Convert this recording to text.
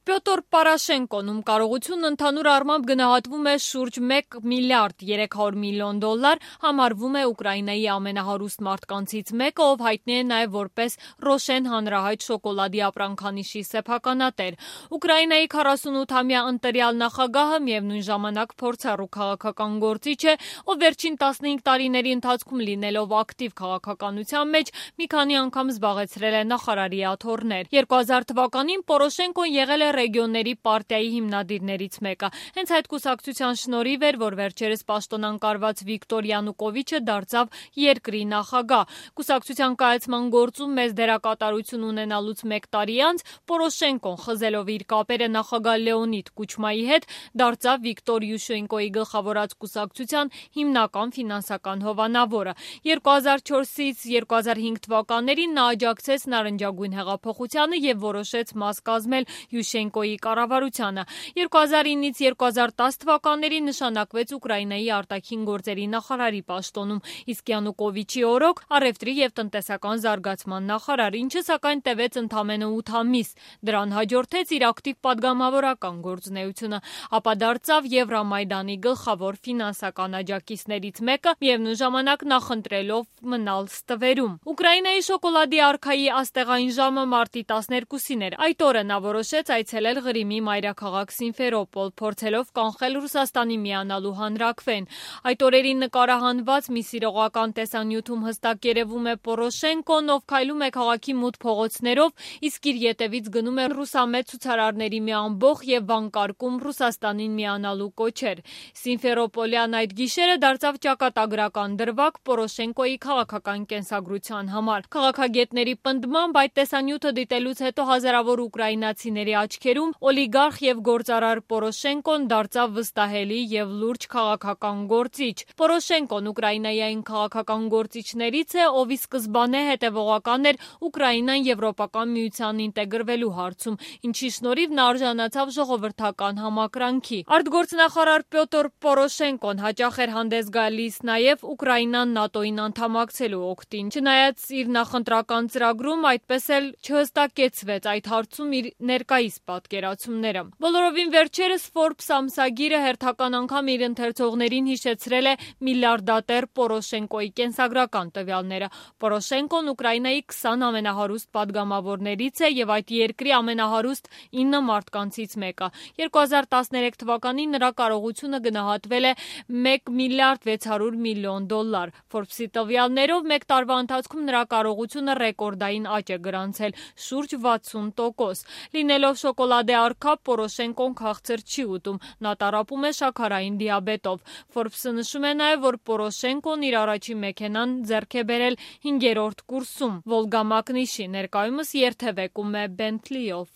Պյոտր Պորոշենկոն, ում կարողությունն ընդհանուր առմամբ գնահատվում է շուրջ 1 միլիարդ 300 միլիոն դոլար, համարվում է Ուկրաինայի ամենահարուստ մարդկանցից մեկը, ով հայտնի է նաև որպես Ռոշեն հանրահայտ շոկոլադի ապրանքանիշի սեփականատեր։ Ուկրաինայի 48-ամյա ընտրյալ նախագահը միևնույն ժամանակ փորձառու քաղաքական գործիչ է, ով վերջին 15 տարիների ընթացքում լինելով ակտիվ քաղաքականության մեջ մի քանի անգամ զբաղեցրել է նախարարի աթոռներ։ 2000 թվականին Պորոշենկոն եղել է Ռեգիոնների պարտիայի հիմնադիրներից մեկը։ Հենց այդ կուսակցության շնորհիվ էր, որ վերջերս պաշտոնանկարված Վիկտոր Յանուկովիչը դարձավ երկրի նախագահ։ Կուսակցության կայացման գործում մեծ դերակատարություն ունենալուց 1 տարի անց Պորոշենկոն, խզելով իր կապերը նախագահ Լեոնիդ Կուչմայի հետ, դարձավ Վիկտոր Յուշենկոյի գլխավորած կուսակցության հիմնական ֆինանսական հովանավորը։ 2004-ից 2005 թվականներին նա աջակցեց նարնջագույն հեղափոխությանը եւ որոշեց մաս կազմել Յուշենկոյի կառավարությանը։ 2009-ից 2010 թվականներին նշանակվեց Ուկրաինայի արտաքին գործերի նախարարի պաշտոնում, իսկ Յանուկովիչի օրոք առևտրի եւ տնտեսական զարգացման նախարար, ինչը սակայն տևեց ընդամենը 8 ամիս։ Դրան հաջորդեց իր ակտիվ падգամավորական գործունեությունը, ապա դարձավ Եվրամայդանի գլխավոր ֆինանսական աջակիցներից մեկը, միևնույն ժամանակ նախընտրելով մնալ ստվերում։ Ուկրաինայի շոկոլադի արքայի աստեղային ժամը մարտի 12-ին էր։ Այդ օրը նա որոշեց այցելել Ղրիմի մայրաքաղաք Սիմֆերոպոլ, փորձելով կանխել Ռուսաստանի միանալու հանրաքվեն։ Այդ օրերին նկարահանված մի սիրողական տեսանյութում հստակ երևում է Պորոշենկոն, ով քայլում է քաղաքի մութ փողոցներով, իսկ իր ետևից գնում է ռուսամետ ցուցարարների մի ամբոխ եւ վանկարկում Ռուսաստանին միանալու կոչեր։ Սիմֆերոպոլյան այդ գիշերը դարձավ ճակատագրական դրվագ Պորոշենկոյի քաղաքական կենսագրության համար։ Քաղաքագետների պնդմամբ այդ տեսանյութը դիտելուց հետո հազարավոր ուկրաինացիների աչքերում օլիգարխ եւ գործարար Պորոշենկոն դարձավ վստահելի եւ լուրջ քաղաքական գործիչ։ Պորոշենկոն Ուկրաինայի այն քաղաքական գործիչներից է, ով ի սկզբանե հետևողական էր Ուկրաինան Եվրոպական միության ինտեգրվելու հարցում, ինչի շնորհիվ նա արժանացավ ժողովրդական համակրանքի։ Արտգործնախարար Պյոտր Պորոշենկոն հաճախ էր հանդես գալիս նաև Ուկրաինան ՆԱՏՕ-ին անդամակցելու օգտին։ Չնայած իր նախընտրական ծրագրում այդպես էլ չհստակեցվեց այդ հարցում իր ներկայիս պատկերացումները։ Բոլորովին վերջերս Forbes ամսագիրը հերթական անգամ իր ընթերցողներին հիշեցրել է միլիարդատեր Պորոշենկոյի կենսագրական տվյալները։ Պորոշենկոն Ուկրաինայի 20 ամենահարուստ падգամավորներից է եւ այդ երկրի ամենահարուստ 9 մարդկանցից մեկը։ 2013 թվականին նրա կարողությունը գնահատվել է 1 միլիարդ 600 միլիոն դոլար։ Forbes-ի տվյալներով 1 տարվա ընթացքում նրա կարողությունը ռեկորդային աճ է գրանցել՝ շուրջ 60%։ Լինելով շոկոլադե արքա, Պորոշենկոն քաղցր չի ուտում, նա տառապում է շաքարային դիաբետով։ Forbes-ը նշում է նաև, որ Պորոշենկոն իր առաջին մեքենան ձեռք է բերել 5-րդ կուրսում, Վոլգա Մակնիշի, ներկայումս երթևեկում է Բենթլիով։